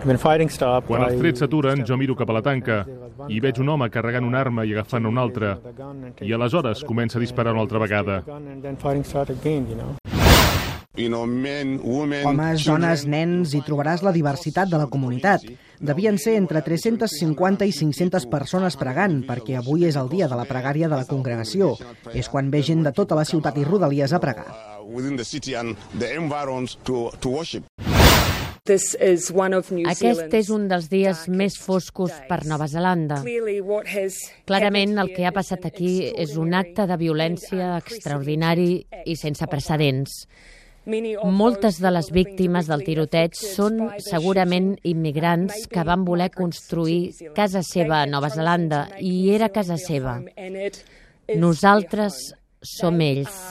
Quan els trets s'aturen, jo miro cap a la tanca i veig un home carregant una arma i agafant una altra. I aleshores comença a disparar una altra vegada. Homes, dones, nens, hi trobaràs la diversitat de la comunitat. Devien ser entre 350 i 500 persones pregant, perquè avui és el dia de la pregària de la congregació. És quan ve gent de tota la ciutat i rodalies a pregar. Aquest és un dels dies més foscos per Nova Zelanda. Clarament, el que ha passat aquí és un acte de violència extraordinari i sense precedents. Moltes de les víctimes del tiroteig són segurament immigrants que van voler construir casa seva a Nova Zelanda, i era casa seva. Nosaltres som ells.